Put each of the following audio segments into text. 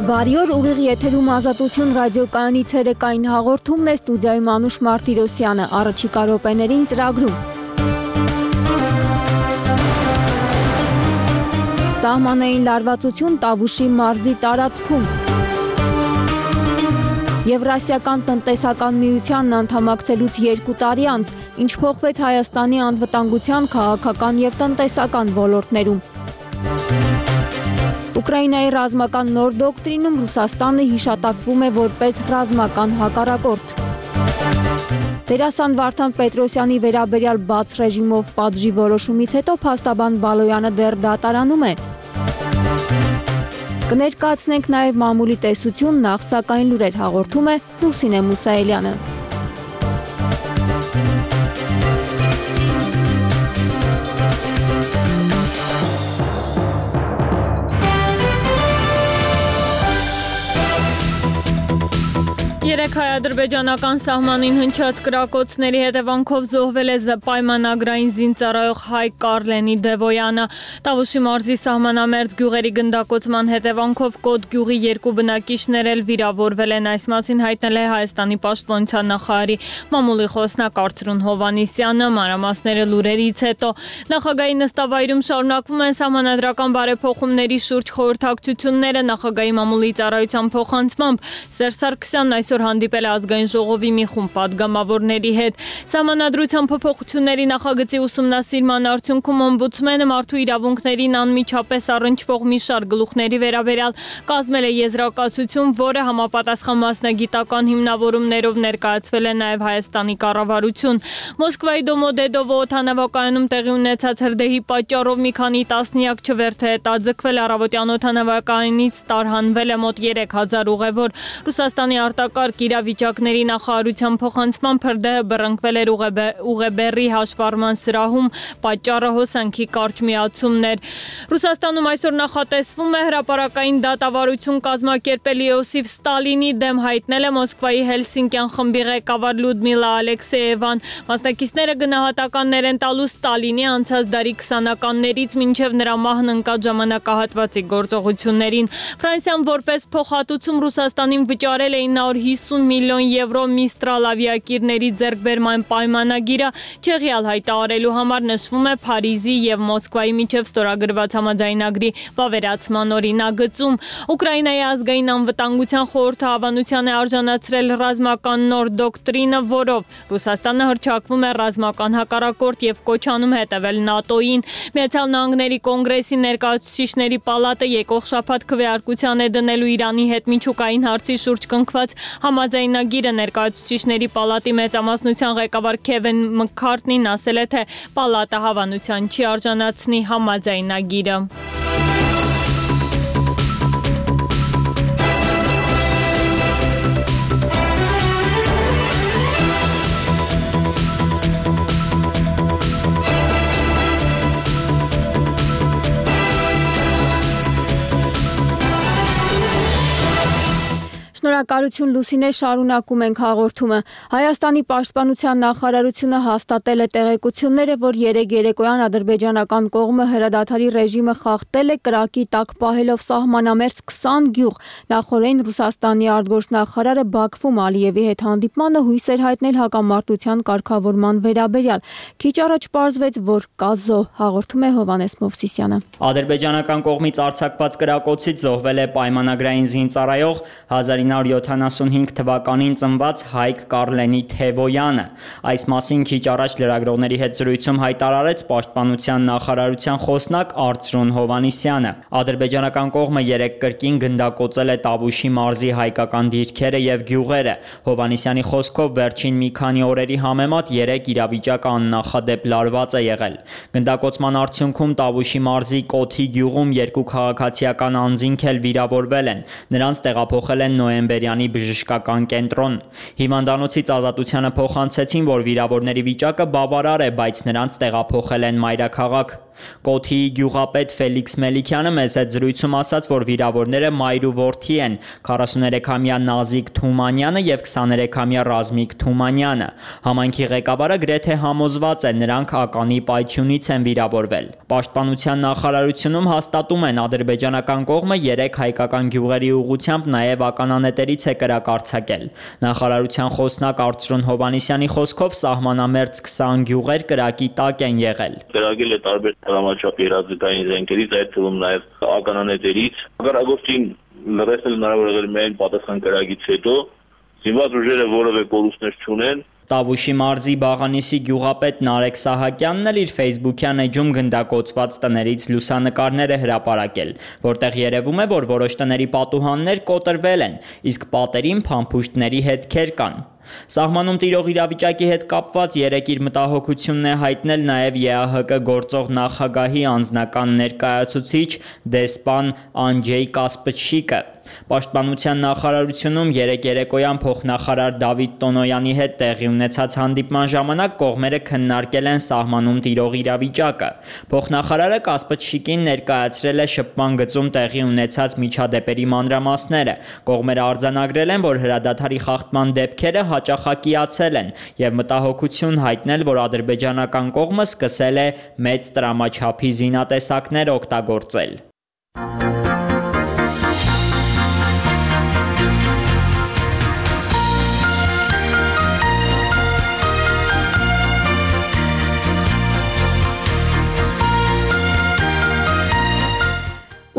Բարի օր, ուղիղ եթերում Ազատություն ռադիոկայանի ցերեկային հաղորդումն է, ստուդիայում Անուշ Մարտիրոսյանը, առաջիկա րոպեներին ծրագրում։ Սահմանային լարվածություն Տավուշի մարզի տարածքում։ Եվրասիական տնտեսական միությանն անդամակցելուց 2 տարի անց, ինչ փոխվեց Հայաստանի անվտանգության, քաղաքական և տնտեսական ոլորտներում։ Ուկրաինայի ռազմական նոր դոկտրինում Ռուսաստանը հիշատակվում է որպես ռազմական հակառակորդ։ Դերասան Վարդան Պետրոսյանի վերաբերյալ բաց ռեժիմով պատժի որոշումից հետո փաստաբան Բալոյանը դեռ դատարանում է։ Կներկայացնենք նաև մամուլի տեսություն, նախ սակայն լուրեր հաղորդում է Լուսինե Մուսայելյանը։ Երեկ հայ-ադրբեջանական սահմանին հնչած կրակոցների հետևանքով զոհվել է պայմանագրային զինծառայող Հայկ Կարլենի Դևոյանը։ Տավուշի մարզի սահմանամերձ գյուղերի գնդակոծման հետևանքով Կոտ գյուղի 2 բնակիչներ էլ վիրավորվել են, այս մասին հայտնել է Հայաստանի պաշտպանության նախարարի մամուլի խոսնակ Արծրուն Հովհաննիսյանը, մանրամասները լուրերից հետո։ Նախագահի նստավայրում շարունակվում են սահմանադրական բարեփոխումների շուրջ խորհրդակցությունները, նախագահի մամուլի ծառայության փոխանցմամբ Սերժ Սարգսյանն այսօր հանդիպել է ազգային ժողովի մի խումբ պատգամավորների հետ։ Սահմանադրության փոփոխությունների նախագծի ուսումնասիրման արդյունքում օմբուդսմենը մարդու իրավունքներին անմիջապես առնչվող մի շարք գլուխների վերաբերյալ կազմել է եզրակացություն, որը համապատասխան մասնագիտական հիմնավորումներով ներկայացվել է նաև Հայաստանի կառավարություն։ Մոսկվայի Դոմոդեդովո օդանավակայանում տեղի ունեցած հրդեհի պատճառով մի քանի տասնյակ չվերթ է հետաձգվել, առավոտյան օդանավակայանից տարհանվել է մոտ 3000 ուղևոր։ Ռուսաստանի արտակարգ իրավիճակների նախարարության փոխանցմամբ հրդեհը բռնկվել էր ուղեբեռի հաշվառման սրահում, պատճառը հոսանքի կարճ միացումն էր։ Ռուսաստանում այսօր նախատեսվում է հրապարակային դատավարություն կազմակերպել Իոսիֆ Ստալինի դեմ, հայտնել է Մոսկվայի Հելսինկյան խմբի ղեկավար Լյուդմիլա Ալեքսեևան։ Մասնակիցները գնահատականներ են տալու Ստալինի անցած դարի 20-ականներից մինչև նրա մահն ընկած ժամանակահատվածի գործողություններին։ Ֆրանսիան որպես փոխհատուցում Ռուսաստանին վճարել է 950 միլիոն եվրո Միստրալ ավիակիրների ձեռքբերման պայմանագիրը Չեխիալ հայտարարելու համար, նշվում է Փարիզի և Մոսկվայի միջև ստորագրված համաձայնագրի վավերացման օրինագծում։ Ուկրաինայի ազգային անվտանգության խորհուրդը հավանության է արժանացրել ռազմական նոր դոկտրինը, որով Ռուսաստանը հռչակվում է ռազմական հակառակորդ և կոչ անում հետևել ՆԱՏՕ-ին։ Միացյալ Նահանգների կոնգրեսի ներկայացուցիչների պալատը եկող շաբաթ քվեարկության է դնելու Իրանի հետ միջուկային հարցի շուրջ կնքված համաձայնագիրը։ Ներկայացուցիչների պալատի մեծամասնության ղեկավար Քևին Մքքարթնին ասել է, թե պալատը հավանության չի արժանացնի համաձայնագիրը։ Շնորհակալություն Լուսինե, շարունակում ենք հաղորդումը։ Հայաստանի պաշտպանության նախարարությունը հաստատել է տեղեկությունները, որ երեկ երեկոյան ադրբեջանական կողմը հրադադարի ռեժիմը խախտել է, կրակի տակ պահելով սահմանամերձ 20 գյուղ։ Նախորդին Ռուսաստանի արտգործնախարարը Բաքվում Ալիևի հետ հանդիպմանը հույս էր հայտնել հակամարտության կարգավորման վերաբերյալ։ Քիչ առաջ պարզվեց, որ կա զոհ, հաղորդում է Հովհաննես Մովսիսյանը։ Ադրբեջանական կողմից արձակված կրակոցից զոհվել է պայմանագրային զինծառայող 1975 թվականին ծնված Հայկ Կարլենի Դևոյանը։ Այս մասին քիչ առաջ լրագրողների հետ զրույցում հայտարարեց պաշտպանության նախարարության խոսնակ Արծրուն Հովհաննիսյանը։ Ադրբեջանական կողմը երեկ կրկին գնդակոծել է Տավուշի մարզի հայկական դիրքերը և գյուղերը։ Հովհաննիսյանի խոսքով վերջին մի քանի օրերի համեմատ երեկ իրավիճակը աննախադեպ լարված է եղել։ Գնդակոծման արդյունքում Տավուշի մարզի Կոթի գյուղում 2 քաղաքացիական անձինք էլ վիրավորվել են։ Նրանց տեղափոխել են Նոյեմբերյանի բժշկական կենտրոն։ Հիվանդանոցից Ազատությանը փոխանցեցին, որ վիրավորների վիճակը բավարար է, բայց նրանց տեղափոխել են մայրաքաղաք։ Կոթիի գյուղապետ Ֆելիքս Մելիքյանը մեծ հետ զրույցում ասաց, որ վիրավորները մայր ու որդի են՝ 43-ամյա Նազիկ Թումանյանը եւ 23-ամյա Ռազմիկ Թումանյանը։ Համայնքի ղեկավարը գրեթե համոզված է, նրանք ականի պայթյունից են վիրավորվել։ Պաշտպանության նախարարությունում հաստատում են, ադրբեջանական կողմը 3 հայկական գյուղերի ուղղությամբ նաեւ ականանետերից է կրակ արձակել։ Նախարարության խոսնակ Արծրուն Հովհաննիսյանի խոսքով սահմանամերձ 20 գյուղեր կրակի տակ են եղել։ Կրակել է տարբեր տրամաչափի երազգային զենքերից, այդ թվում նաև ականանետերից։ Հակառակորդին լրացնել հնարավոր եղել միայն պատասխան կրակից հետո, զինված ուժերը որևէ կորուստներ չունեն։ Տավուշի մարզի Բաղանիսի գյուղապետ Նարեկ Սահակյանն էլ իր Facebook-յան էջում գնդակոծված տներից լուսանկարներ է հրապարակել, որտեղ երևում է, որ որոշ տների պատուհաններ կոտրվել են, իսկ պատերին փամփուշտների հետքեր կան։ Սահմանում տիրող իրավիճակի հետ կապված երեկ իր մտահոգությունն է հայտնել նաև ԵԱՀԿ գործող նախագահի անձնական ներկայացուցիչ դեսպան Անջեյ Կասպչիկը։ Պաշտպանության նախարարությունում երեկ երեկոյան փոխնախարար Դավիթ Տոնոյանի հետ տեղի ունեցած հանդիպման ժամանակ կողմերը քննարկել են սահմանում տիրող իրավիճակը։ Փոխնախարարը Կասպչիկին ներկայացրել է շփման գծում տեղի ունեցած միջադեպերի մանրամասները։ Կողմերը արձանագրել են, որ հրադադարի խախտման դեպքերը հաճախակիացել են եւ մտահոգություն հայտնել, որ ադրբեջանական կողմը սկսել է մեծ տրամաչափի զինատեսակներ օգտագործել։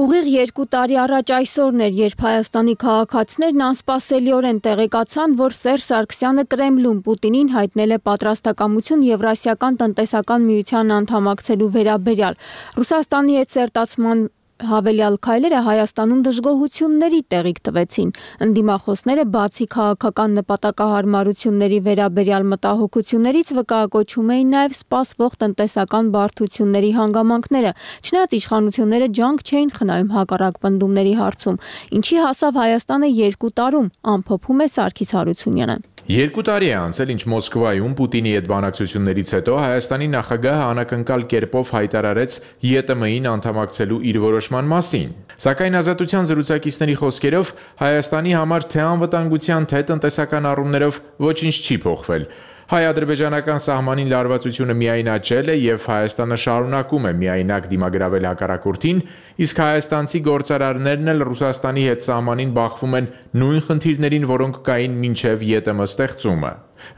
Ուղիղ 2 տարի առաջ այսօրն էր, երբ Հայաստանի քաղաքացիներն անսպասելիորեն տեղեկացան, որ Սերժ Սարգսյանը Կրեմլում Պուտինին հայտնել է պատրաստակամություն Եվրասիական տնտեսական միության անդամակցելու վերաբերյալ։ Ռուսաստանի հետ սերտացման հավելյալ քայլերը Հայաստանում դժգոհությունների տեղիք տվեցին։ Ընդդիմախոսները բացի քաղաքական նպատակահարմարությունների վերաբերյալ մտահոգություններից վկայակոչում էին նաև սպասվող տնտեսական բարդությունների հանգամանքները, չնայած իշխանությունները ջանք չէին խնայում հակառակ պնդումների հարցում, ինչի հասավ Հայաստանը 2 տարում, ամփոփում է Սարգիս Հարությունյանը։ 2 տարի է անցել, ինչ Մոսկվայում Պուտինի հետ բանակցություններից հետո Հայաստանի նախագահը անակնկալ կերպով հայտարարեց ԵՏՄ-ին անդամակցելու իր որոշման մասին։ Սակայն Ազատության զրուցակիցների խոսքերով Հայաստանի համար թե անվտանգության, թե տնտեսական առումներով ոչինչ չի փոխվել։ Հայ-ադրբեջանական սահմանին լարվածությունը միայն աճել է եւ Հայաստանը շարունակում է միայնակ դիմագրավել հակառակորդին, իսկ հայաստանցի գործարարներն էլ Ռուսաստանի հետ սահմանին բախվում են նույն խնդիրներին, որոնք կային մինչև ԵՏՄ ստեղծումը։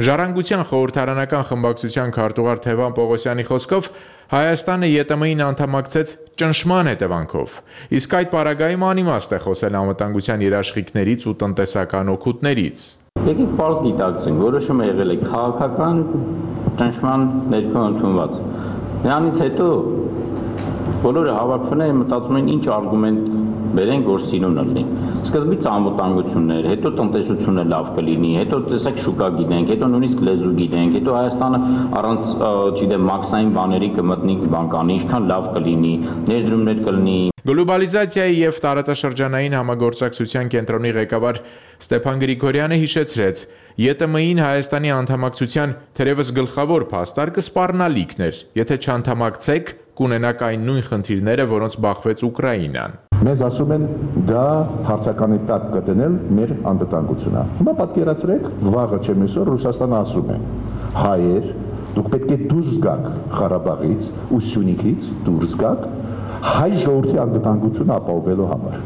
Ժառանգության խորհրդարանական խմբակցության քարտուղար Թևան Պողոսյանի խոսքով Հայաստանը ԵՏՄ-ին անդամակցեց ճնշման հետևանքով, իսկ այդ պարագայում անիմաստ է խոսել անվտանգության երաշխիքներից ու տնտեսական օգուտներից։ Եկեք պարզ դիտակցենք, որոշումը եղել է քաղաքական ճնշման ներքո ընդունված։ Նրանից հետո բոլորը հավաքվում են մտածում են ինչ արգումենտ բերենք, որ սիրուն լինի։ Սկզբից անվտանգություններ, հետո տնտեսությունը լավ կլինի, հետո տեսեք շուկա գիտենք, հետո նույնիսկ լեզու գիտենք, հետո Հայաստանը առանց, չգիտեմ, մաքսային բաների կմտնի բանկանի, ինչքան լավ կլինի, ներդրումներ կլինի։ Գլոբալիզացիայի եւ տարածաշրջանային համագործակցության կենտրոնի ղեկավար Ստեփան Գրիգորյանը հիշեցրեց, ԵՏՄ-ին Հայաստանի անդամակցության թերևս գլխավոր փաստարկը սպառնալիքն էր, եթե չանդամակցեք, կունենաք այն նույն խնդիրները, որոնց բախվեց Ուկրաինան։ Մեզ ասում են դա հարցականի տակ կդնել մեր անվտանգությունը։ Հիմա պատկերացրեք, վաղը չեմ այսօր Ռուսաստանը ասում է. հայեր, դուք պետք է դուրս գաք Ղարաբաղից ու Սյունիքից, դուրս գաք հայ ժողովրդի անվտանգությունը ապահովելու համար։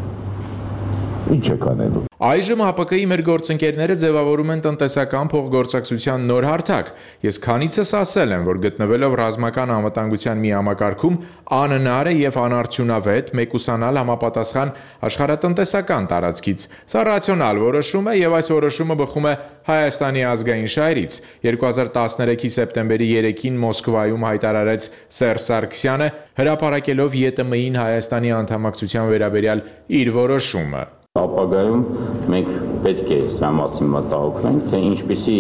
Ինչ եք անելու։ Այժմ ՀԱՊԿ-ի մեր գործընկերները ձևավորում են տնտեսական փոխգործակցության նոր հարթակ։ Ես քանիցս ասել եմ, որ գտնվելով ռազմական անվտանգության մի համակարգում անհնար է եւ անարդյունավետ մեկուսանալ համապատասխան աշխարհատնտեսական տարածքից։ Սա ռացիոնալ որոշում է եւ այս որոշումը բխում է Հայաստանի ազգային շահերից։ 2013-ի սեպտեմբերի 3-ին Մոսկվայում հայտարարեց Սերժ Սարգսյանը, հրապարակելով ԵՏՄ-ին Հայաստանի անդամակցության վերաբերյալ իր որոշումը։ Ապագայում մենք պետք է սրա մասին մտահոգվենք, թե ինչպիսի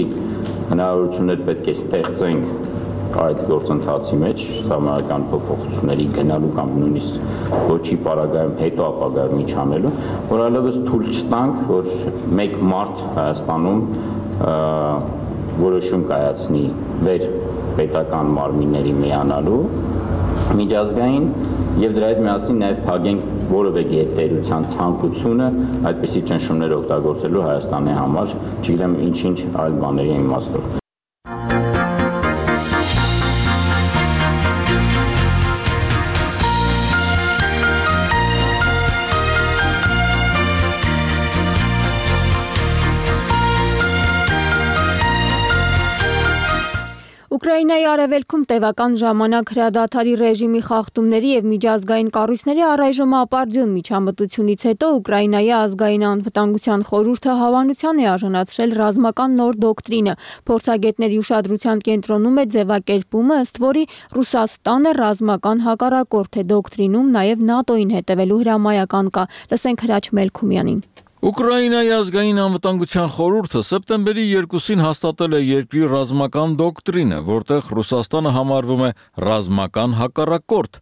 հնարավորություններ պետք է ստեղծենք այդ գործընթացի մեջ, համարական փոփոխությունների գնալու կամ նույնիսկ ոչի պարագայում հետո ապագայում ինչ անելու, որ այլևս թույլ չտանք, որ մեկ մարդ Հայաստանում որոշում կայացնի վեր պետական մարմինների միանալու միջազգային եւ դրա հետ միասին նաեւ փակենք որևէ գերտերության ցանկությունը այդպիսի ճնշումներ օգտագործելու Հայաստանի համար, չգիտեմ ինչ այլ բաների իմաստով։ Ուկրաինայի արևելքում տևական ժամանակ հրադադարի ռեժիմի խախտումների եւ միջազգային կառույցների առայժմ ապարդյուն միջամտությունից հետո Ուկրաինայի ազգային անվտանգության խորհուրդը հավանության է արժանացրել ռազմական նոր դոկտրինը։ Փորձագետների ուշադրության կենտրոնում է ձևակերպումը, ըստ որի Ռուսաստանը ռազմական հակառակորդ է դոկտրինում, նաեւ ՆԱՏՕ-ին հետևելու հրամայական կա։ Լսենք Հրաչ Մելքումյանին։ Ուկրաինայի ազգային անվտանգության խորհուրդը սեպտեմբերի 2-ին հաստատել է երկրի ռազմական դոկտրինը, որտեղ Ռուսաստանը համարվում է ռազմական հակառակորդ։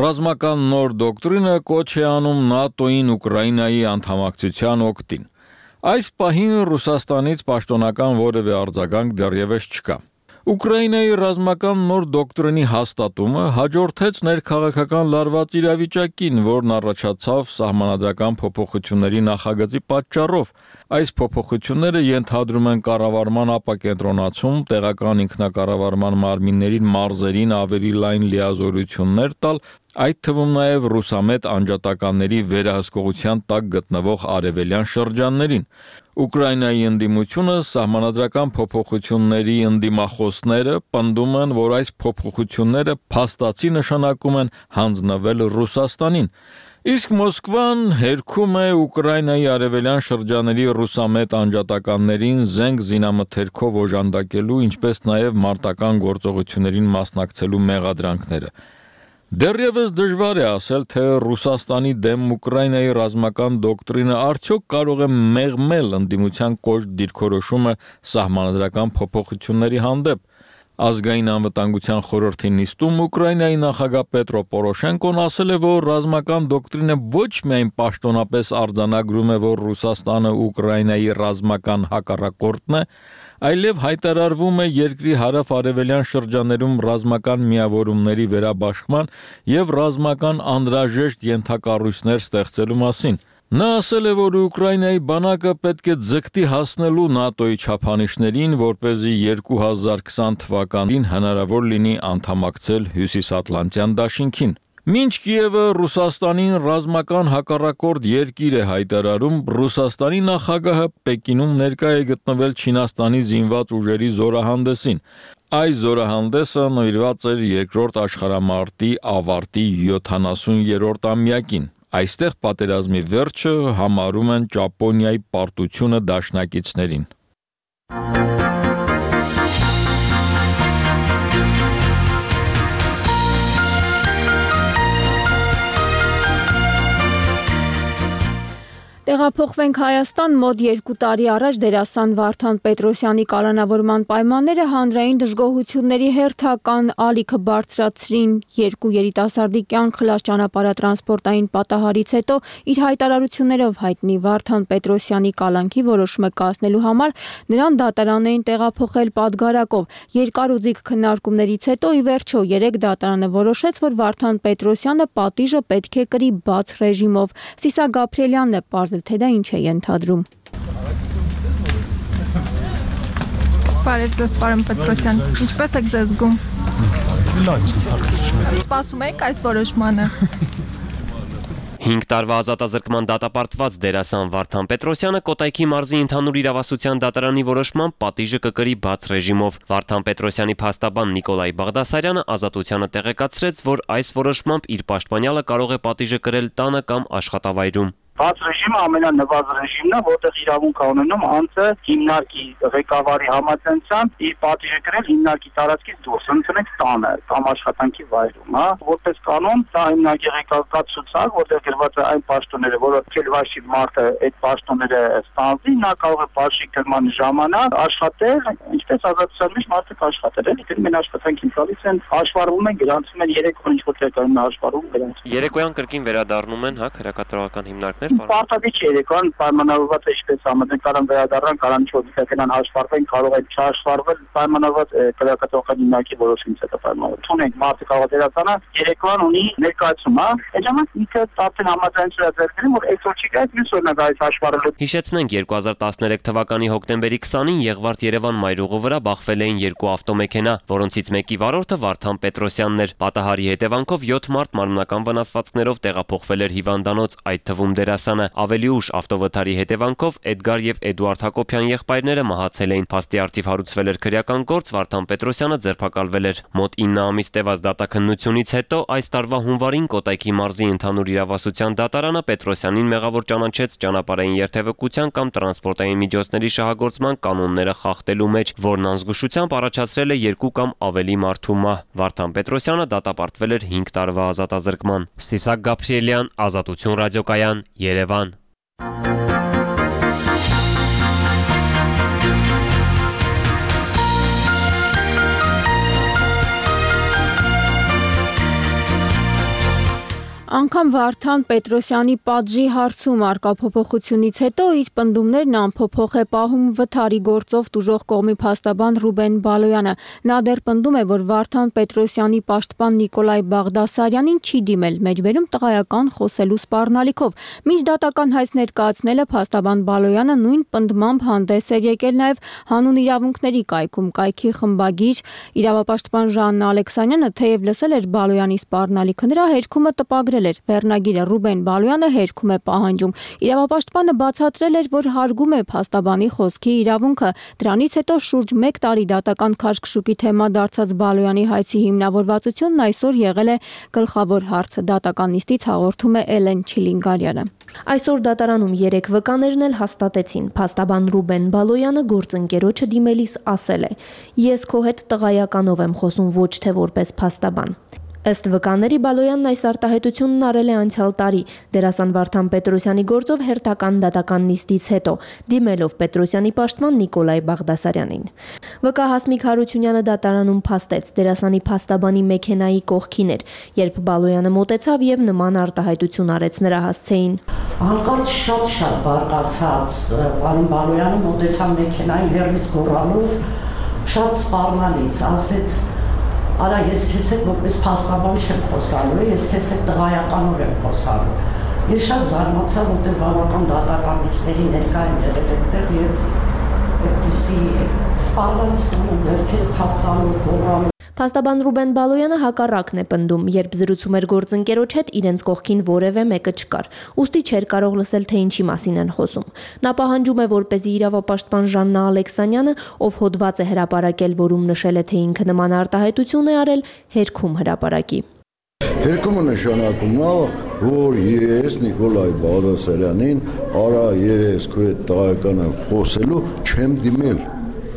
Ռազմական նոր դոկտրինը կոչ է անում ՆԱՏՕ-ին Ուկրաինայի անդամակցության օգտին։ Այս պահին Ռուսաստանից պաշտոնական որևէ արձագանք դեռևս չկա։ Ուկրաինայի ռազմական նոր դոկտրինի հաստատումը հաջորդեց ներքաղաքական լարված իրավիճակին, որն առաջացավ սահմանադրական փոփոխությունների նախագծի պատճառով։ Այս փոփոխությունները ենթադրում են կառավարման ապակենտրոնացում, տեղական ինքնակառավարման մարմիններին մարզերին ավելի լայն լիազորություններ տալ, այդ թվում նաև ռուսամետ անջատականների վերահսկողության տակ գտնվող արևելյան շրջաններին։ Ուկրաինայի ընդդիմությունը սահմանադրական փոփոխությունների ընդդիմախոսները պնդում են, որ այս փոփոխությունները փաստացի նշանակում են հանձնվել Ռուսաստանին։ Իսկ Մոսկվան հերքում է Ուկրաինայի արևելյան շրջանների ռուսամետ անջատականներին զենք զինամթերքով օժանդակելու, ինչպես նաև մարտական գործողություններին մասնակցելու մեղադրանքները։ Դեռևս դժվար է ասել, թե Ռուսաստանի դեմ Ուկրաինայի ռազմական դոկտրինը արդյոք կարող է մեղմել ընդդիմության կոշտ դիրքորոշումը սահմանադրական փոփոխությունների հանդեպ։ Ազգային անվտանգության խորհրդի նիստում Ուկրաինայի նախագահ Պետրո Պորոշենկոն ասել է, որ ռազմական դոկտրինը ոչ միայն պաշտոնապես արձանագրում է, որ Ռուսաստանը Ուկրաինայի ռազմական հակառակորդն է, այլև հայտարարվում է երկրի հարավ-արևելյան շրջաներում ռազմական միավորումների վերաբաշխման եւ ռազմական անհրաժեշտ ենթակառույցներ ստեղծելու մասին։ Նա ասել է, որ Ուկրաինայի բանակը պետք է ձգտի հասնելու ՆԱՏՕ-ի չափանիշներին, որպեսզի 2020 թվականին հնարավոր լինի անդամակցել Հյուսիսատլանտյան դաշինքին։ Մինչ Կիևը Ռուսաստանին ռազմական հակառակորդ երկիր է հայտարարում, Ռուսաստանի նախագահը Պեկինում ներկա է գտնվել Չինաստանի զինված ուժերի զորահանդեսին։ Այս զորահանդեսը նվիրված էր երկրորդ աշխարհամարտի ավարտի 70-րդ ամյակին։ Այստեղ պատերազմի վերջը համարում են Ճապոնիայի պարտությունը դաշնակիցներին։ Տեղափոխվենք Հայաստան, մոտ 2 տարի առաջ դերասան Վարդան Պետրոսյանի կալանավորման պայմանները հանրային դժգոհությունների հերթական ալիքը բարձրացրին։ Երկու երիտասարդի կյանք խլած ճանապարհատրանսպորտային պատահարից հետո իր հայտարարություններով հայտնի Վարդան Պետրոսյանի կալանքի որոշումը կայացնելու համար նրան դատարան էին տեղափոխել Պատգարակով։ Երկար ու ձիգ քննարկումներից հետո ի վերջո 3 դատարանը որոշեց, որ Վարդան Պետրոսյանը պատիժը պետք է կրի բաց ռեժիմով։ Սիսա Գաբրիելյանն է պարզել, թե դա ինչ է ենթադրում։ Բարև ձեզ, պարոն Պետրոսյան, ինչպես եք ձեզ զգում։ Սպասում եք այս որոշմանը։ 5 տարվա ազատազրկման դատապարտված դերասան Վարդան Պետրոսյանը Կոտայքի մարզի ընդհանուր իրավասության դատարանի որոշմամբ պատիժը կկրի բաց ռեժիմով։ Վարդան Պետրոսյանի փաստաբան Նիկոլայ Բաղդասարյանը ազատությանը տեղեկացրեց, որ այս որոշմամբ իր պաշտպանյալը կարող է պատիժը կրել տանը կամ աշխատավայրում։ Բաց ռեժիմը ամենանվազ ռեժիմն է, որտեղ իրավունք է ունենում անձը հիմնարկի ղեկավարի համաձայնությամբ իր պատիժը կրել հիմնարկի տարածքից դուրս, ընդունեք տանը կամ աշխատանքի վայրում, հա, որպես կանոն, սա հիմնարկի ղեկավարի ցուցակ, որտեղ գրված է այն պաշտոնները, որը քելվաշի մարդը այդ պաշտոնները ստանձնի, նա կարող է բաշխի կրման ժամանակ աշխատել, ինչպես ազատության մեջ մարդը կաշխատել, էլի դեռ մեն աշխատանքին գալիս են, հաշվառվում են, գրանցում են 3 օր ինչ-որ տեղում հաշվառվում գրանցում։ Երեկոյան կրկին վերադառնում են, հա, քրեակատարողական հիմնարկ Պարտադիր չէ երեկոյան պայմանավորված է ինչպես համաձայն կարան վերադառնան, կարան չօդիկական հաշվառվեն, կարող է չհաշվառվել պայմանավորված քրեակատողական հիմնարկի որոշումից հետո պայմանավոր։ Թունենք մարդը կարող է դերասանը երեկոյան ունի ներկայացում, հա։ Այդ ժամանակ ինքը արդեն համաձայնություն է ձեռք բերում, որ այսօր չի գայց, մյուս օրն է գայց հաշվառելու։ Հիշեցնենք 2013 թվականի հոկտեմբերի 20-ին Եղվարդ-Երևան մայրուղու վրա բախվել էին 2 ավտոմեքենա, որոնցից մեկի վարորդը Վարդան Պետրոսյանն էր։ Պատահարի հետևանքով 7 մարդ մարմնական վնասվածքներով տեղափոխվել էր հիվանդանոց, այդ թվում դերասանը։ Ավելի ուշ ավտովթարի հետևանքով Էդգար եւ Էդուարդ Հակոբյան եղբայրները մահացել էին։ Փաստի առթիվ հարուցվել էր քրեական գործ, Վարդան Պետրոսյանը ձերբակալվել էր։ Մոտ 9 ամիս տևած դատաքննությունից հետո այս տարվա հունվարին Կոտայքի մարզի ընդհանուր իրավասության դատարանը Պետրոսյանին մեղավոր ճանաչեց ճանապարհային երթևեկության կամ տրանսպորտային միջոցների շահագործման կանոնները խախտելու մեջ, որն անզգուշությամբ առաջացրել է 2 կամ ավելի մարդու մահ։ Վարդան Պետրոսյանը դատապարտվել էր 5 տարվա ազատազրկման։ Սիսակ Գաբրիելյան, Ազատություն ռադիոկայան, Երևան։ Անգամ Վարդան Պետրոսյանի պատժի հարցում արկա փոփոխությունից հետո իր պնդումներն անփոփոխ է պահում վթարի գործով տուժող կողմի փաստաբան Ռուբեն Բալոյանը։ Նա դեռ պնդում է, որ Վարդան Պետրոսյանի պաշտպան Նիկոլայ Բաղդասարյանին չի դիմել մեջբերում տղայական խոսելու սպառնալիքով։ Մինչ դատական հայց ներկայացնելը փաստաբան Բալոյանը նույն պնդմամբ հանդես էր եկել նաև հանուն իրավունքների կայքում կայքի խմբագիր իրավապաշտպան Ժաննա Ալեքսանյանը թեև լսել էր Բալոյանի սպառնալիքը, նրա հերքումը տպագրել Վերնագիրը Ռուբեն Բալոյանը հերքում է պահանջում։ Իրավապաշտպանը բացատրել էր, որ հարգում է փաստաբանի խոսքի իրավունքը։ Դրանից հետո շուրջ 1 տարի դատական քաշքշուկի թեմա դարձած Բալոյանի հայցի հիմնավորվածությունն այսօր եղել է գլխավոր հարցը։ Դատական նիստից հաղորդում է Էլեն Չիլինգարյանը։ Այսօր դատարանում 3 վկաներն էլ հաստատեցին։ Փաստաբան Ռուբեն Բալոյանը գործընկերոջը դիմելիս ասել է. «Ես քո հետ տղայականով եմ խոսում, ոչ թե որպես փաստաբան»։ Ըստ վկաների Բալոյանն այս արտահայտությունն արել է անցյալ տարի դերասան Վարդան Պետրոսյանի գործով հերթական դատական նիստից հետո, դիմելով Պետրոսյանի պաշտպան Նիկոլայ Բաղդասարյանին։ Վկա Հասմիկ Հարությունյանը դատարանում փաստեց դերասանի փաստաբանի մեքենայի կողքին էր, երբ Բալոյանը մոտեցավ եւ նման արտահայտություն արեց նրա հասցեին։ Հանկարծ շատ բարկացած պարոն Բալոյանը մոտեցավ մեքենային հեռվից գոռալով, շատ սպառնալից, ասեց Արա ես քեզ հետ որպես փաստաբան չեմ խոսալու, ես քեզ հետ տղայականով եմ խոսալու։ Ես շատ զարմացա, որտեղ բավական դատական նիստերի ներկա եմ եղել այդտեղ եւ այդպիսի սպառնալից ձեռքերը թափտալով գոռալով։ Փաստաբան Ռուբեն Բալոյանը հակառակն է պնդում, երբ զրուցում էր գործընկերոջ հետ, իրենց կողքին որևէ մեկը չկար։ Ուստի չէր կարող լսել, թե ինչի մասին են խոսում։ Նա պահանջում է, որպեսզի իրավապաշտպան Ժաննա Ալեքսանյանը, ով հոդված է հրապարակել, որում նշել է, թե ինքը նման արտահայտություն է արել, հերքում հրապարակի։ Հերկումը նշանակում է, որ ես Նիկոլայ Բաղդասարյանին, արա ես քո հետ տղայական եմ խոսելու, չեմ դիմել։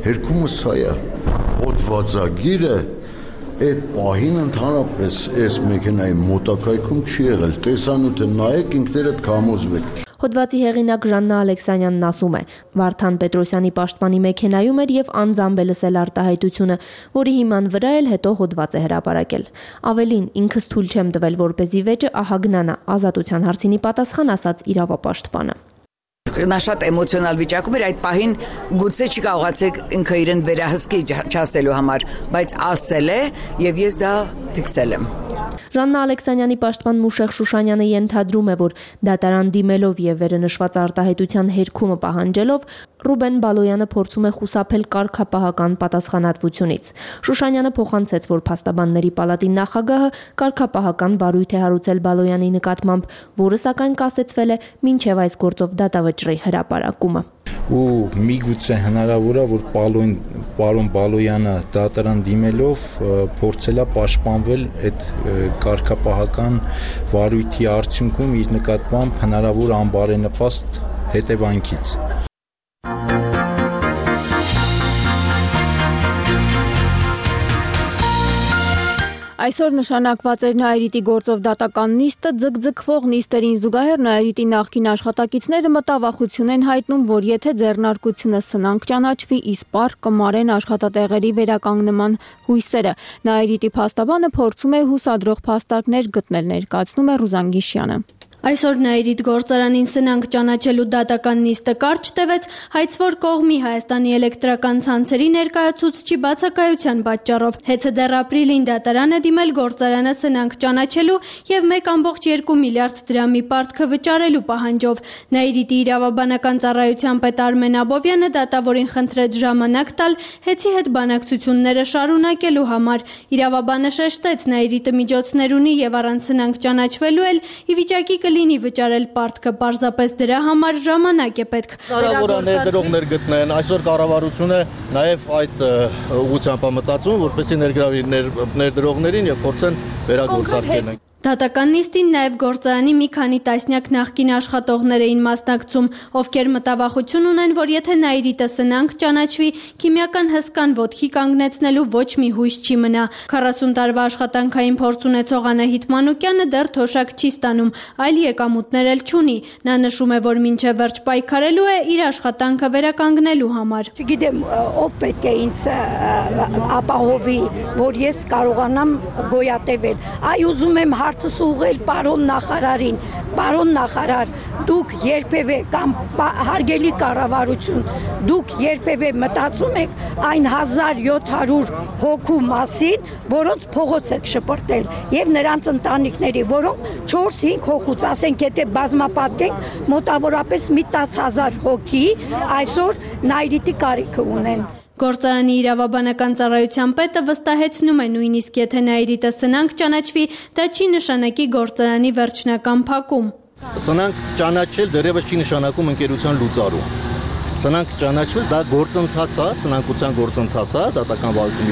Հերկումը սա է։ Հոդվածագիրը այդ պահին ընդհանրապես այս մեքենայի մոտակայքում չի եղել։ Տեսանյութը նայեք, ինքներդ կհամոզվեք։ Հոդվածի հեղինակ Ժաննա Ալեքսանյանն ասում է. Վարդան Պետրոսյանի պաշտպանի մեքենայում էր եւ անձամբ է լսել արտահայտությունը, որի հիման վրա էլ հետո հոդված է հրապարակել։ Ավելին, ինքս թույլ չեմ տվել, որպեսզի վեճը ահագնանա, Ազատության հարցինի պատասխան ասաց իրավապաշտպանը։ Նա շատ էմոցիոնալ վիճակում էր, այդ պահին գուցե չի կարողացեք ինքը իրեն վերահսկի չասելու համար, բայց ասել է եւ ես դա ֆիքսել եմ։ Ժաննա Ալեքսանյանի պաշտպան Մուշեղ Շուշանյանը ենթադրում է, որ դատարան դիմելով եւ վերնշված արտահայտության հերքումը պահանջելով Ռուբեն Բալոյանը փորձում է խուսափել կարգապահական պատասխանատվությունից։ Շուշանյանը փոխանցեց, որ փաստաբանների պալատի նախագահը կարգապահական վարույթ է հարուցել Բալոյանի նկատմամբ, որը սակայն կասեցվել է մինչև այս գործով դատավճռի հրապարակումը։ Ու միգուցե հնարավոր է, որ պարոն Բալոյանը դատարան դիմելով փորձել է պաշտպանվել այդ կարգապահական վարույթի արդյունքում իր նկատմամբ հնարավոր անբարենպաստ հետևանքից։ Այսօր նշանակված էր Նայիրիտի գործով դատական նիստը, ձգձգվող նիստերին զուգահեռ Նայիրիտի նախկին աշխատակիցները մտավախություն են հայտնում, որ եթե ձեռնարկությունը սնանկ ճանաչվի, իսպառ կմարեն աշխատատեղերի վերականգնման հույսերը։ Նայիրիտի փաստաբանը փորձում է հուսադրող փաստարկներ գտնել, ներկայացնում է Ռուզան Գիշյանը։ Այսօր Նաիրիթ գործարանին սնանկ ճանաչելու դատական նիստը կարճ տևեց հայցվոր կողմի Հայաստանի էլեկտրական ցանցերի ներկայացուցչի բացակայության պատճառով։ Հեծը դեռ ապրիլին դատարան է դիմել գործարանը սնանկ ճանաչելու եւ 1.2 միլիարդ դրամի պարտքը վճարելու պահանջով։ Նաիրիթի իրավաբանական ծառայության պետ Արմեն Աբովյանը դատավորին խնդրեց ժամանակ տալ հեծի հետ բանակցությունները շարունակելու համար։ Իրավաբանը շեշտեց Նաիրիթը միջոցներ ունի եւ առանց սնանկ ճանաչվելու էլ ի վիճակի լինի վճարել պարտքը, պարզապես դրա համար ժամանակ է պետք։ Հնարավոր է ներդրողներ գտնեն, այսօր կառավարությունը նաև այդ ուղղությամբ է մտածում, որպեսզի ներգրավի ներդրողներին եւ փորձեն վերագործարկել։ Դատական նիստին նաև գործարանի մի քանի տասնյակ նախկին աշխատողներ էին մասնակցում, ովքեր մտավախություն ունեն, որ եթե Նաիրիթը սնանկ ճանաչվի, քիմիական հսկան ոտքի կանգնեցնելու ոչ մի հույս չի մնա։ 40 տարվա աշխատանքային փորձ ունեցող Անահիտ Մանուկյանը դեռ թոշակ չի ստանում, այլ եկամուտներ էլ չունի։ Նա նշում է, որ մինչև վերջ պայքարելու է իր աշխատանքը վերականգնելու համար։ Չգիտեմ, ով պետք է ինձ ապահովի, որ ես կարողանամ գոյատևել։ Այ ուզում եմ հարցս ուղղել պարոն նախարարին, պարոն նախարար, դուք երբևէ կամ հարգելի կառավարություն, դուք երբևէ մտածում եք այն 1700 հոգու մասին, որոնց փողոց եք շպրտել, եւ նրանց ընտանիքների, որոնք 4-5 հոգուց, ասենք, եթե բազմապատկենք, մոտավորապես մի 10,000 հոգի այսօր Նաիրիթի կարիքը ունեն։ Գործարանի իրավաբանական ծառայության պետը վստահեցնում է նույնիսկ եթե Նաիրիթը սնանկ ճանաչվի, դա չի նշանակի գործարանի վերջնական փակում։ Սնանկ ճանաչել դեռևս չի նշանակում ընկերության լուծարում։ Սնանկ ճանաչվել դա գործընթաց է, սնանկության գործընթաց է, դատական վարույթում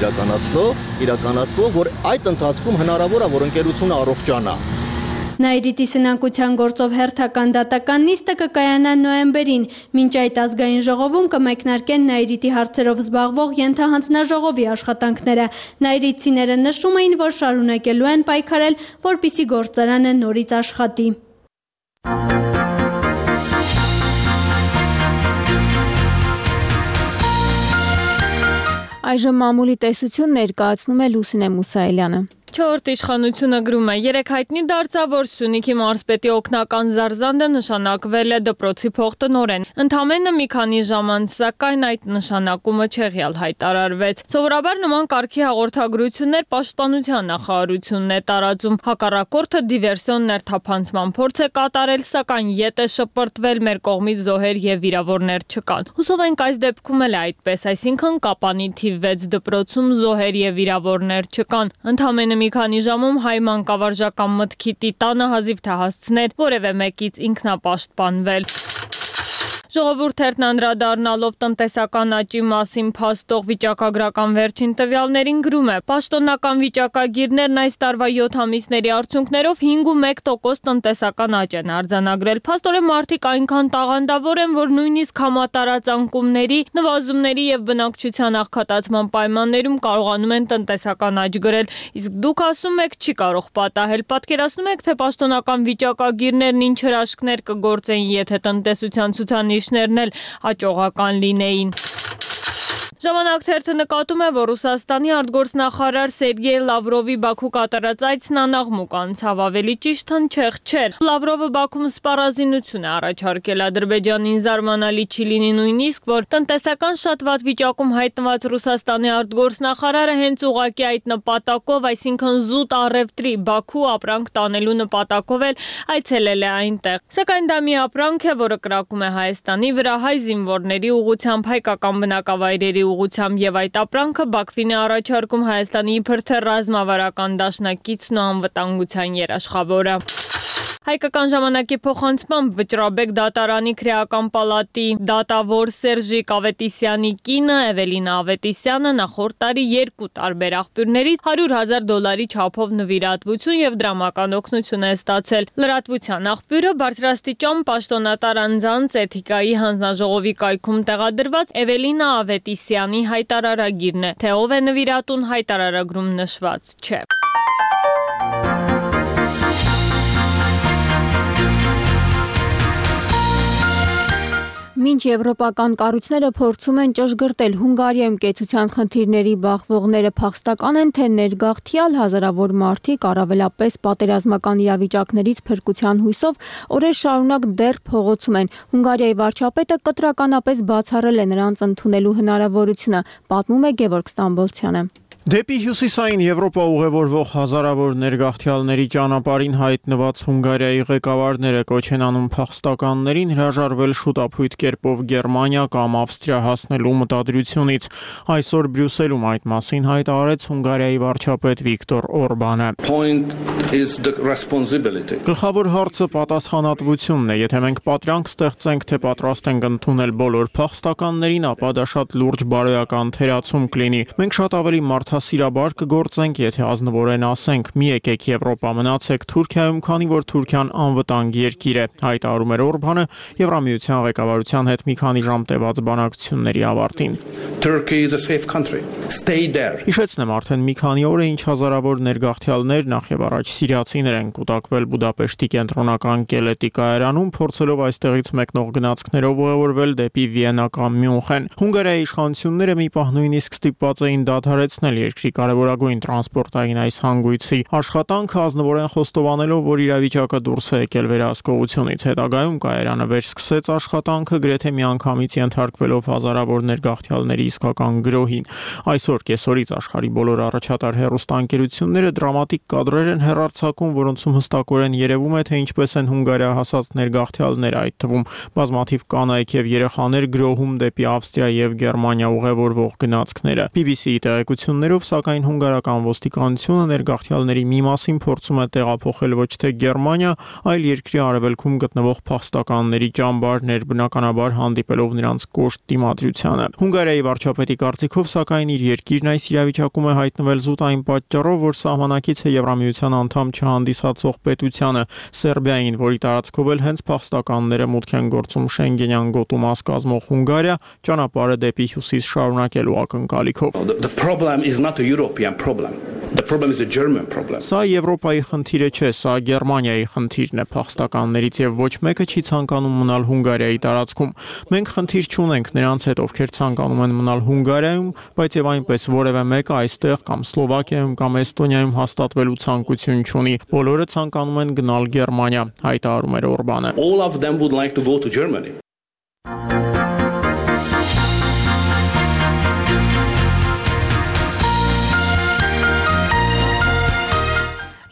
իրականացվող, որ այդ ընթացքում հնարավոր է, որ ընկերությունը առողջանա։ Նաիրիթի սնանկության գործով հերթական դատական նիստը կկայանա նոյեմբերին, մինչ այդ ազգային ժողովում կմեկնարկեն Նաիրիթի հարցերով զբաղվող ենթահանձնաժողովի աշխատանքները։ Նաիրիթցիները նշում էին, որ շարունակելու են պայքարել, որպեսզի գործարանը նորից աշխատի։ Այժմ մամուլի տեսություն ներկայացնում է Լուսինե Մուսայելյանը։ Չորրորդ իշխանությունը գրում է. երեք հայտնի դարձավ, որ Սյունիքի մարզպետի օգնական Զարզանդը նշանակվել է դպրոցի փոխտնօրեն։ Ընդամենը մի քանի ժամ անց, սակայն այդ նշանակումը չեղյալ հայտարարվեց։ Սովորաբար նման կարգի հաղորդագրություններ պաշտպանության նախարարությունն է տարածում։ Հակառակորդը դիվերսիոն ներթափանցման փորձ է կատարել, սակայն ետ է շպրտվել, մեր կողմից զոհեր եւ վիրավորներ չկան։ Հուսով ենք այս դեպքում էլ այդպես, այսինքն Կապանի թիվ 6 դպրոցում զոհեր եւ վիրավորներ չկան։ Ընդամենը մի քանի ժամում հայ մանկավարժական մտքի տիտանը հազիվ թե հասցներ որևէ մեկից ինքնապաշտպանվել։ Ժողովուրդն անդրադառնալով տնտեսական աճի մասին փաստող վիճակագրական վերջին տվյալներին գրում է. Պաշտոնական վիճակագիրներն այս տարվա 7 ամիսների արդյունքներով 5.1% տնտեսական աճ են արձանագրել։ Փաստորեն մարդիկ այնքան տաղանդավոր են, որ նույնիսկ համատարած անկումների, նվազումների եւ բնակչության աղքատացման պայմաններում կարողանում են տնտեսական աճ գրել։ Իսկ դուք ասում եք չի կարող պատահել։ Պատկերացնում եք, թե պաշտոնական վիճակագիրներն ինչ հրաշքներ կգործեին, եթե տնտեսության ցուցանիշներն էլ հաջողական լինեին։ Ժամանակ թերթը նկատում է, որ Ռուսաստանի արտգործնախարար Սերգեյ Լավրովի Բաքու կատարած այցն անաղմուկ անցավ, ավելի ճիշտ հնչեղ չէր։ Լավրովը Բաքվում սպառազինություն է առաջարկել Ադրբեջանին, զարմանալի չի լինի նույնիսկ, որ տնտեսական շատ վատ վիճակում հայտնված Ռուսաստանի արտգործնախարարը հենց ուղղակի այդ նպատակով, այսինքն զուտ առևտրի Բաքու ապրանք տանելու նպատակով էլ այցելել է այնտեղ։ Սակայն դա մի ապրանք է, որը կրակում է Հայաստանի վրա, հայ զինվորների ուղղությամբ, հայկական բնակավայրերի ուղղությամբ եւ այդ ապրանքը Բաքվին է առաջարկում Հայաստանի իբր թե ռազմավարական դաշնակիցն ու անվտանգության երաշխավորը։ Հայկական ժամանակի փոխանցմամբ Վճռաբեկ դատարանի քրեական պալատի դատավոր Սերժիկ Ավետիսյանի կինը Էվելինա Ավետիսյանը նախորդ տարի 2 տարբեր աղբյուրներից $100,000 չափով նվիրատվություն եւ դրամական օգնություն է ստացել։ Լրատվության աղբյուրը բարձրաստիճան պաշտոնատար անձանց էթիկայի հանձնաժողովի կայքում տեղադրված Էվելինա Ավետիսյանի հայտարարագիրն է, թե ով է նվիրատուն հայտարարագրում նշված չէ։ Մի մինչ եվրոպական կառույցները փորձում են ճշգրտել Հունգարիայում կեցության խնդիրների բախվողները փախստական են, թե ներգաղթյալ հազարավոր մարդիկ առավելապես պատերազմական իրավիճակներից փրկության հույսով օրեր շարունակ դեռ փողոցում են։ Հունգարիայի վարչապետը կտրականապես բացառել է նրանց ընդունելու հնարավորությունը, պատմում է Գևորգ Ստամբոլցյանը։ Դեպի հյուսիսային Եվրոպա ուղևորվող հազարավոր ներգաղթյալների ճանապարհին հայտնված Հունգարիայի ղեկավարները կոչ են անում փախստականներին հրաժարվել շուտափույթ կերպով Գերմանիա կամ Ավստրիա հասնելու մտադրությունից։ Այսօր Բրյուսելում այդ մասին հայտարարեց Հունգարիայի վարչապետ Վիկտոր Օրբանը։ Գլխավոր հարցը պատասխանատվությունն է։ Եթե մենք պատրանք ստեղծենք, թե պատրաստ ենք ընդունել բոլոր փախստականներին, ապա դա շատ լուրջ բարոյական թերացում կլինի։ Մենք շատ ավելի մարդասիրաբար կգործենք, եթե ազնվորեն ասենք՝ մի եկեք Եվրոպա, մնացեք Թուրքիայում, քանի որ Թուրքիան անվտանգ երկիր է, հայտարարում էր Օրբանը Եվրամիության ղեկավարության հետ մի քանի ժամ տևած բանակցությունների ավարտին։ Հիշեցնեմ, արդեն մի քանի օր է ինչ հազարավոր ներգաղթյալներ, նախևառաջ սիրիացիներ են կուտակվել Բուդապեշտի կենտրոնական Կելետի կայարանում, փորձելով այստեղից մեկնող գնացքներով ուղևորվել դեպի Վիեննա կամ Մյունխեն։ Հունգարիայի իշխանությունները մի պահ նույնիսկ ստիպված էին դադարեցնել երկրի կարևորագույն տրանսպորտային այս հանգույցի աշխատանքը, ազնվորեն խոստովանելով, որ իրավիճակը դուրս է եկել վերահսկողությունից։ Հետագայում կայարանը վերսկսեց աշխատանքը, գրեթե միանգամից ենթարկվելով հազարավոր ներգաղթյալների իսկական գրոհին։ Այսօր կեսօրից աշխարհի բոլոր առաջատար հեռուստաընկերությունները դրամատիկ կադրեր են հեռարձակում, որոնցում հստակորեն երևում է, թե ինչպես են Հունգարիա հասած ներգաղթյալները, այդ թվում բազմաթիվ կանայք եւ երեխաներ գրոհում դեպի Ավստրիա եւ Գերմանիա ուղևորվող գնացքները։ BBC-ի տեղեկություններով, սակայն հունգարական ոստիկանությունը ներգաղթյալների մի մասին փորձում է տեղափոխել ոչ թե Գերմանիա, այլ երկրի արևելքում գտնվող փախստականների ճամբարներ, բնականաբար հանդիպելով նրանց կոշտ դիմադրությանը։ Հունգարիայի վարչապետի կարծիքով, սակայն իր երկիրն այս իրավիճակում է հայտնվել զուտ այն պատճառով, որ սահմանակից է Եվրամիության անդամ չհանդիսացող պետությանը Սերբիային, որի տարածքով էլ հենց փախստականները մուտք են գործում Շենգենյան գոտու մաս կազմող Հունգարիա, ճանապարհը դեպի հյուսիս շարունակելու ակնկալիքով։ Սա Եվրոպայի խնդիրը չէ, սա Գերմանիայի խնդիրն է փախստականներից եւ ոչ մեկը չի ցանկանում մնալ Հունգարիայի տարածքում։ Մենք խնդիր չունենք նրանց հետ, ովքեր ցանկանում են մնալ Հունգարիայում, բայց եւ այնպես որևէ մեկը այստեղ կամ Սլովակիայում կամ Էստոնիայում հաստատվելու ցանկություն չունի։ Բոլորը ցանկանում են գնալ Գերմանիա, հայտարարում էր Օրբանը։ All of them would like to go to Germany.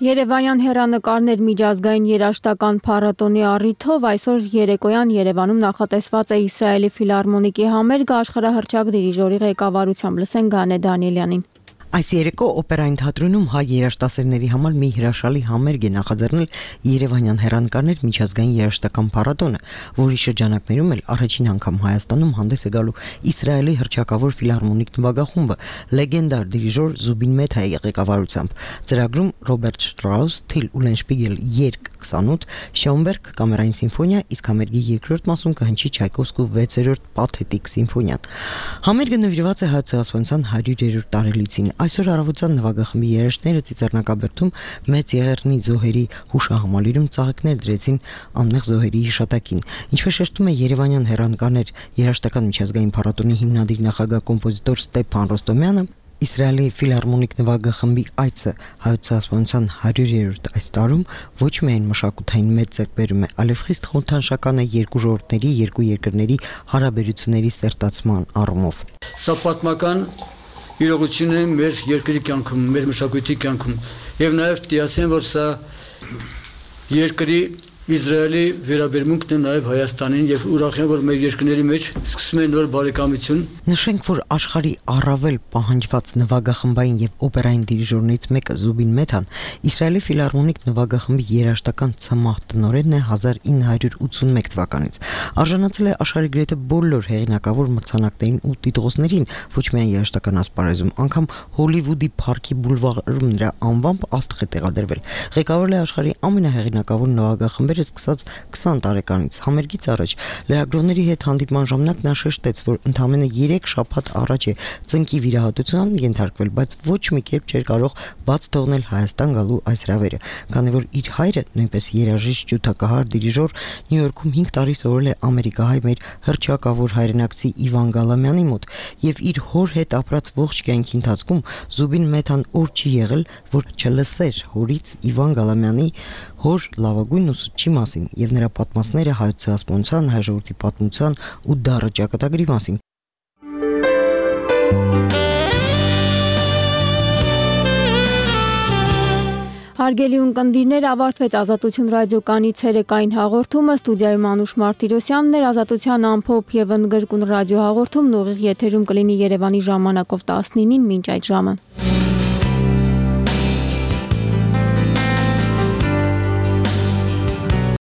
Երևանյան հեռանկարներ միջազգային երաժշտական փառատոնի առիթով այսօր երեկոյան Երևանում նախատեսված է Իսրայելի ֆիլհարմոնիկի համերգը աշխարհահռչակ դիրիժորի ղեկավարությամբ։ Լսենք Գանե Դանիելյանին։ Այս երեկո օպերային թատրոնում հայ երաժշտասերների համար մի հրաշալի համերգ է նախաձեռնել Երևանյան հեռանկարներ միջազգային երաժշտական փառատոնը, որի շրջանակներում էլ առաջին անգամ Հայաստանում հանդես է գալու Իսրայելի հռչակավոր ֆիլհարմոնիկ նվագախումբը լեգենդար դիրիժոր Զուբին Մեթայի ղեկավարությամբ։ Ծրագրում Ռոբերտ Շտրաուս, Թիլ Ուլենշպիգել երգ 28, Շոենբերգ կամերային սիմֆոնիա, իսկ համերգի երկրորդ մասում կհնչի Չայկովսկու 6-րդ պաթետիկ սիմֆոնիան։ Համերգը նվիրված է հայցասպանության 100-րդ տարելիցին։ Այսօր առավոտյան նվագախմբի երաժիշտները Ծիծեռնակաբերդում մեծ եղեռնի զոհերի հուշահամալիրում ծաղիկներ դրեցին անմեղ զոհերի հիշատակին։ Ինչպես շեշտում է Երևանյան հեռանկարներ երաժշտական միջազգային փառատոնի հիմնադիր նախագահ կոմպոզիտոր Ստեփան Ռոստոմյանը, Իսրայելի ֆիլհարմոնիկ նվագախմբի այցը հայցասպանության 100-րդ այս տարում ոչ միայն մշակութային մեծ ձեռքբերում է, այլև խիստ խորհրդանշական է երկու ժողովուրդների, երկու երկրների հարաբերությունների սերտացման առումով։ Սա պատմական իրողություն է մեր երկրի կյանքում, մեր մշակույթի կյանքում, եւ նաեւ դիասեն, որ սա երկրի Իսրայելի վերաբերմունքն է նաև Հայաստանին եւ ուրախ եմ, որ մեր երկրների մեջ սկսում է նոր բարեկամություն։ Նշենք, որ աշխարհի առավել պահանջված նվագախմբային եւ օպերային դիրիժորներից մեկը Զուբին Մեթան Իսրայելի ֆիլհարմոնիկ նվագախմբի երաժշտական ցմահ տնօրենն է 1981 թվականից։ Արժանացել է աշխարհի գրեթե բոլոր հեղինակավոր մրցանակներին ու տիտղոսներին, ոչ միայն երաժշտական ասպարեզում, անգամ Հոլիվուդի Փարքի բուլվարում նրա անվամբ աստղ է տեղադրվել։ Ղեկավարել է աշխարհի ամենահեղինակավոր նվագախմբերը պատմությունները սկսած 20 տարեկանից։ Համերգից առաջ լրագրողների հետ հանդիպման ժամանակ նա շեշտեց, որ ընդամենը 3 շաբաթ առաջ է ծնկի վիրահատության ենթարկվել, բայց ոչ մի կերպ չէր կարող բաց թողնել Հայաստան գալու այս հրավերը, քանի որ իր հայրը, նույնպես երաժիշտ, ջութակահար, դիրիժոր, Նյու Յորքում 5 տարի սովորել է ամերիկահայ մեր հռչակավոր հայրենակցի Իվան Գալամյանի մոտ եւ իր հոր հետ ապրած ողջ կյանքի ընթացքում Զուբին Մեթան օր չի եղել, որ չլսեր հորից Իվան Գալամյանի հոր լավագույն ուսուցչի մասին եւ նրա պատմածները հայոց ցեղասպանության, հայ ժողովրդի պատմության ու դառը ճակատագրի մասին։ Հարգելի ունկնդիրներ, ավարտվեց Ազատություն ռադիոկանի ցերեկային հաղորդումը, ստուդիայում Անուշ Մարտիրոսյանն էր, Ազատության ամփոփ եւ ընդգրկուն ռադիո հաղորդումն ուղիղ եթերում կլինի Երևանի ժամանակով 19-ին, մինչ այդ ժամը։